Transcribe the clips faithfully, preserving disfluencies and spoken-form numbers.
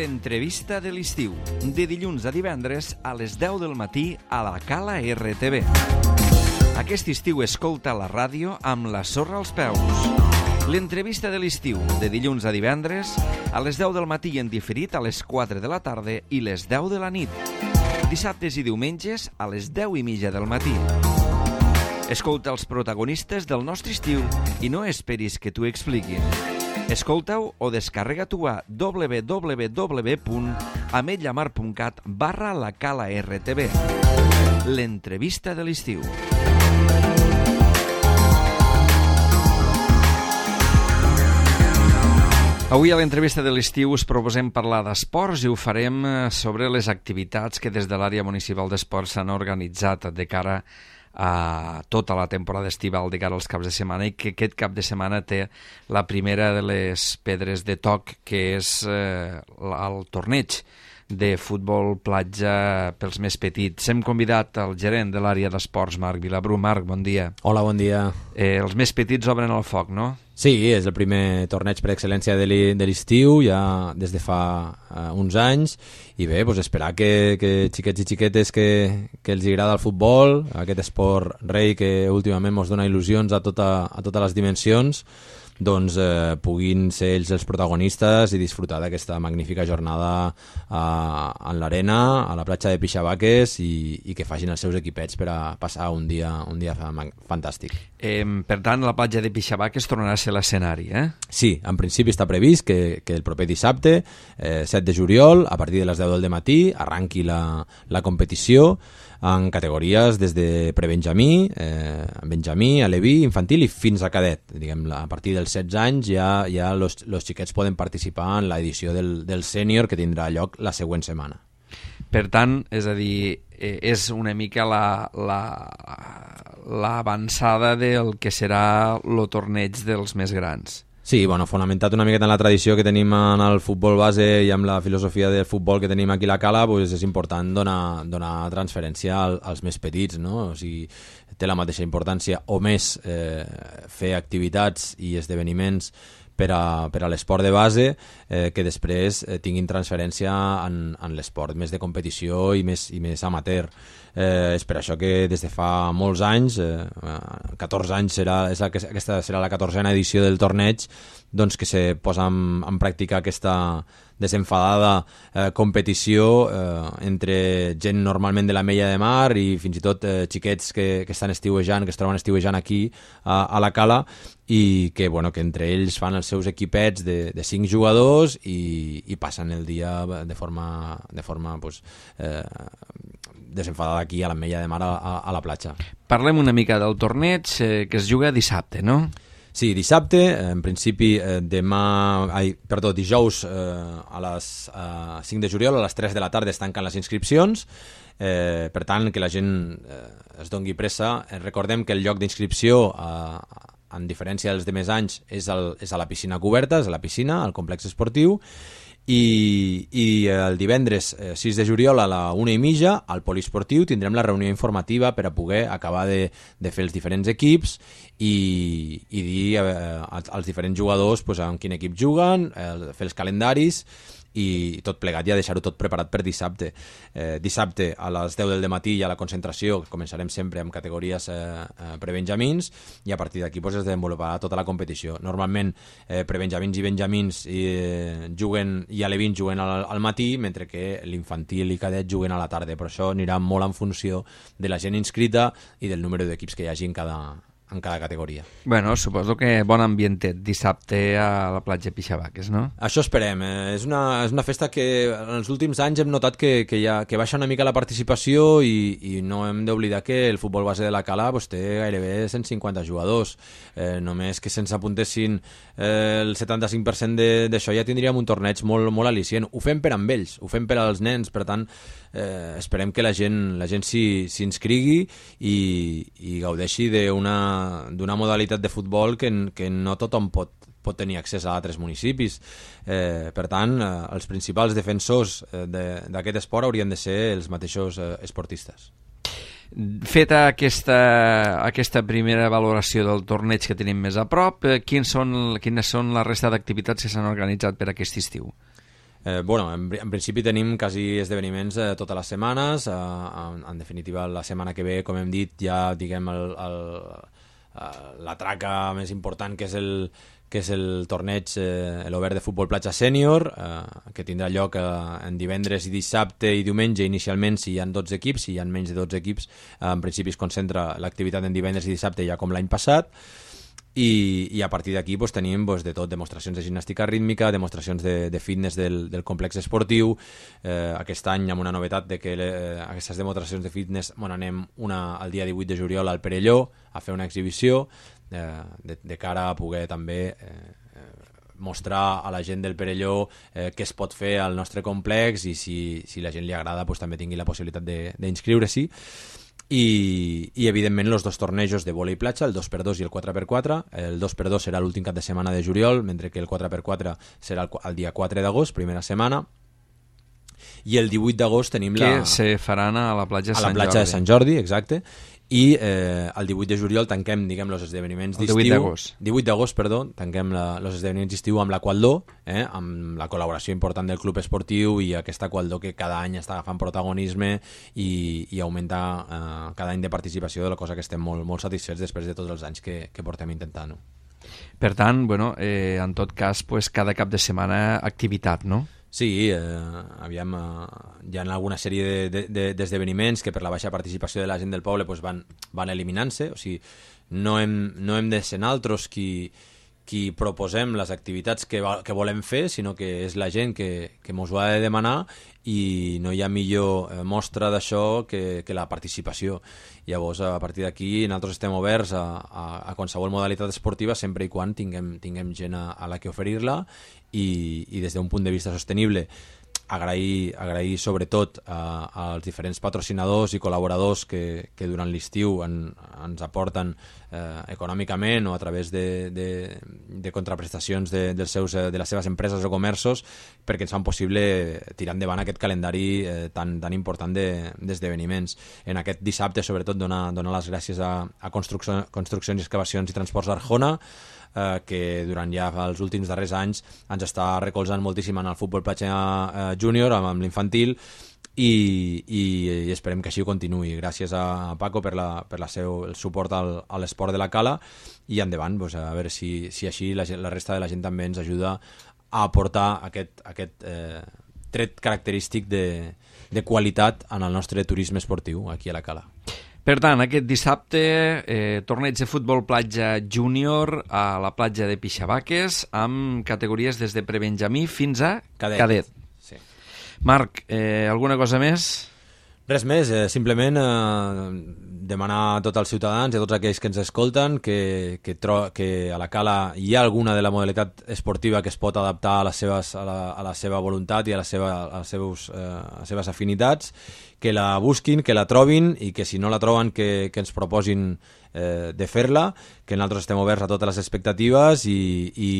L'entrevista de l'estiu, de dilluns a divendres a les deu del matí a la Cala R T V. Aquest estiu escolta la ràdio amb la sorra als peus. L'entrevista de l'estiu, de dilluns a divendres a les deu del matí en diferit a les quatre de la tarda i les deu de la nit. Dissabtes i diumenges a les deu i mitja del matí. Escolta els protagonistes del nostre estiu i no esperis que t'ho expliquin. Escolta-ho o descarrega-t'ho a w w w punt ametlla mar punt cat barra la Cala R T V. L'entrevista de l'estiu. Avui a l'entrevista de l'estiu us proposem parlar d'esports i ho farem sobre les activitats que des de l'àrea municipal d'esports s'han organitzat de cara a tota la temporada estival, de cara als caps de setmana, i que aquest cap de setmana té la primera de les pedres de toc, que és eh, el torneig de futbol platja pels més petits. Hem convidat el gerent de l'àrea d'esports, Marc Vilabrú. Marc, bon dia. Hola, bon dia. Eh, els més petits obren el foc, no? Sí, és el primer torneig per excel·lència de l'estiu, ja des de fa uh, uns anys, i bé, doncs esperar que, que xiquets i xiquetes que, que els agrada el futbol, aquest esport rei que últimament ens dona il·lusions a, tota, a totes les dimensions, doncs eh, puguin ser ells els protagonistes i disfrutar d'aquesta magnífica jornada eh, en l'arena, a la platja de Pixabaques, i, i que facin els seus equipets per a passar un dia, un dia fantàstic. Eh, per tant, la platja de Pixabaques tornarà a ser l'escenari, eh? Sí, en principi està previst que, que el proper dissabte, eh, set de juliol, a partir de les deu del matí, arranqui la, la competició en categories des de prebenjamí, eh, benjamí, aleví, infantil i fins a cadet. Diguem, a partir dels setze anys ja, ja los, los xiquets poden participar en l'edició del, del sènior, que tindrà lloc la següent setmana. Per tant, és a dir, eh, és una mica la, la, l'avançada del que serà el torneig dels més grans. Sí, bueno, fonamentat una miqueta en la tradició que tenim en el futbol base i amb la filosofia del futbol que tenim aquí a la Cala, pues és important donar, donar transferència al, als més petits, no? O sigui, té la mateixa importància o més eh, fer activitats i esdeveniments per a, per a l'esport de base eh, que després eh, tinguin transferència en, en l'esport més de competició i més, i més amateur. Eh, és per això que des de fa molts anys, eh, catorze anys, serà, és la, aquesta serà la catorzena edició del torneig, doncs que se posa en, en pràctica aquesta desenfadada eh, competició eh, entre gent normalment de la Mella de Mar i fins i tot eh, xiquets que, que estan estiuejant, que es troben estiuejant aquí a, a la Cala, i que, bueno, que entre ells fan els seus equipets de, de cinc jugadors i, i passen el dia de forma, de forma pues, eh, desenfadada aquí a la Mella de Mar a, a, a la platja. Parlem una mica del torneig eh, que es juga dissabte, no? Sí, dissabte, en principi eh, demà, ai, perdó, dijous eh, a les eh, cinc de juliol a les tres de la tarda es tanquen les inscripcions, eh, per tant que la gent eh, es dongui pressa. Eh, recordem que el lloc d'inscripció, eh, en diferència dels demés anys, és, el, és a la piscina coberta, és a la piscina, al complex esportiu, i, i el divendres eh, sis de juliol a la una i mitja al poliesportiu tindrem la reunió informativa per a poder acabar de, de fer els diferents equips i, i dir eh, als diferents jugadors pues, en quin equip juguen, eh, fer els calendaris i tot plegat, ja deixar-ho tot preparat per dissabte. Eh, dissabte a les deu del matí hi ha la concentració, començarem sempre amb categories eh, eh, prebenjamins, i a partir d'aquí pues, es desenvoluparà tota la competició. Normalment eh, prebenjamins i benjamins eh, juguen, i alevins juguen al, al matí, mentre que l'infantil i cadet juguen a la tarda, però això anirà molt en funció de la gent inscrita i del número d'equips que hi hagi en cada en cada categoria. Bueno, suposo que bon ambientet dissabte a la platja Pixabaques, no? Això esperem. Eh? És, una, és una festa que en els últims anys hem notat que, que, ha, que baixa una mica la participació i, i no hem d'oblidar que el futbol base de la Cala pues, té gairebé cent cinquanta jugadors. Eh, només que se'ns apuntessin eh, el setanta-cinc per cent d'això ja tindríem un torneig molt, molt al·licient. Ho fem per amb ells, ho fem per als nens, per tant eh, esperem que la gent, la gent s'hi inscrigui i, i gaudeixi d'una d'una modalitat de futbol que, que no tothom pot, pot tenir accés a altres municipis. Eh, per tant, eh, els principals defensors eh, d'aquest esport haurien de ser els mateixos eh, esportistes. Feta aquesta, aquesta primera valoració del torneig que tenim més a prop, eh, quins són, quines són la resta d'activitats que s'han organitzat per aquest estiu? Eh, bueno, en, en principi tenim quasi esdeveniments eh, totes les setmanes. Eh, en, en definitiva, la setmana que ve, com hem dit, ja diguem el, el, la traca més important, que és el, que és el torneig, eh, l'Obert de Futbol Platja Sènior, eh, que tindrà lloc eh, en divendres i dissabte i diumenge. Inicialment, si hi ha dotze equips, si hi ha menys de dotze equips, eh, en principi es concentra l'activitat en divendres i dissabte, ja com l'any passat. I, i a partir d'aquí pues, tenim pues, de tot, demostracions de gimnàstica rítmica, demostracions de, de fitness del, del complex esportiu. Eh, aquest any amb una novetat de que le, eh, aquestes demostracions de fitness, bueno, anem una, el dia divuit de juliol al Perelló a fer una exhibició eh, de, de cara a poder també eh, mostrar a la gent del Perelló eh, què es pot fer al nostre complex, i si, si la gent li agrada pues, també tingui la possibilitat d'inscriure-s'hi. I, i evidentment els dos tornejos de vòlei platja, el dos per dos i el quatre per quatre. El dos per dos serà l'últim cap de setmana de juliol, mentre que el quatre per quatre serà el, el dia quatre d'agost, primera setmana. I el divuit d'agost tenim que la... Que se faran a la platja de Sant Jordi. A la platja de Sant Jordi, exacte. I eh, el divuit de juliol tanquem, diguem, els esdeveniments d'estiu. El divuit d'agost. divuit d'agost, perdó, tanquem els esdeveniments d'estiu amb la Qualdó, eh, amb la col·laboració important del club esportiu i aquesta Qualdó que cada any està agafant protagonisme i, i augmenta eh, cada any de participació, de la cosa que estem molt, molt satisfets després de tots els anys que, que portem intentant. No? Per tant, bueno, eh, en tot cas, pues, cada cap de setmana activitat, no? Sí, eh, aviam, eh, hi ha alguna sèrie d'esdeveniments de, de, que per la baixa participació de la gent del poble pues van, van eliminant-se, o sigui, no hem, no hem de ser nosaltres qui, qui proposem les activitats que, que volem fer, sinó que és la gent que, que mos ho ha de demanar, i no hi ha millor mostra d'això que, que la participació. Llavors, a partir d'aquí, nosaltres estem oberts a, a, a qualsevol modalitat esportiva, sempre i quan tinguem, tinguem gent a, a la que oferir-la, i, i des d'un punt de vista sostenible agrair, agrair sobretot a, als diferents patrocinadors i col·laboradors que, que durant l'estiu en, ens aporten eh, econòmicament o a través de, de, de contraprestacions de, dels seus, de les seves empreses o comerços, perquè ens fan possible tirar endavant aquest calendari eh, tan, tan important d'esdeveniments. De, en aquest dissabte, sobretot, donar, donar les gràcies a, a Construcció, Construccions i Excavacions i Transports Arjona, Eh, que durant ja els últims darrers anys ens està recolzant moltíssim en el futbol platja eh, júnior, amb, amb l'infantil, i, i, i esperem que així ho continuï. Gràcies a Paco per, la, per la seu, el suport al, a l'esport de la Cala, i endavant, pues, a veure si, si així la, la resta de la gent també ens ajuda a aportar aquest, aquest eh, tret característic de, de qualitat en el nostre turisme esportiu aquí a la Cala. Per tant, aquest dissabte, eh, torneig de futbol platja júnior a la platja de Pixabaques, amb categories des de prebenjamí fins a cadet. cadet. Sí. Marc, eh, alguna cosa més? Res més, eh, simplement eh, demanar a tots els ciutadans i a tots aquells que ens escolten que, que, tro que a la Cala hi ha alguna de la modalitat esportiva que es pot adaptar a, les seves, a, la, a la seva voluntat i a, la seva, a, les seus, eh, a les seves afinitats, que la busquin, que la trobin, i que si no la troben que, que ens proposin eh, de fer-la, que nosaltres estem oberts a totes les expectatives, i, i,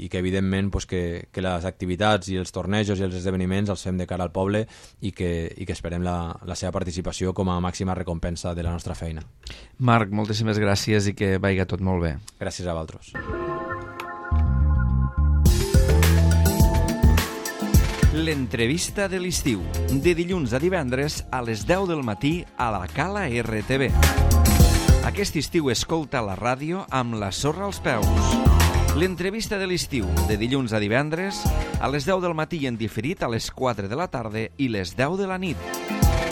i que evidentment pues, que, que les activitats i els tornejos i els esdeveniments els fem de cara al poble, i que, i que esperem la, la seva participació com a màxima recompensa de la nostra feina. Marc, moltíssimes gràcies i que vagi tot molt bé. Gràcies a vosaltres. L'entrevista de l'estiu, de dilluns a divendres a les deu del matí a la Cala R T V. Aquest estiu escolta la ràdio amb la sorra als peus. L'entrevista de l'estiu, de dilluns a divendres a les deu del matí i en diferit a les quatre de la tarda i les deu de la nit.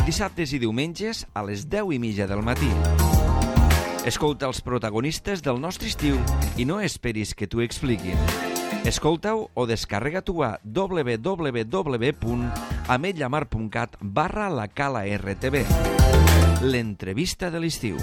Dissabtes i diumenges a les deu i mitja del matí. Escolta els protagonistes del nostre estiu i no esperis que t'ho expliquin. Escolta-ho o descarrega-t'ho a w w w punt ametlla mar punt cat barra la Cala R T V. L'entrevista de l'estiu.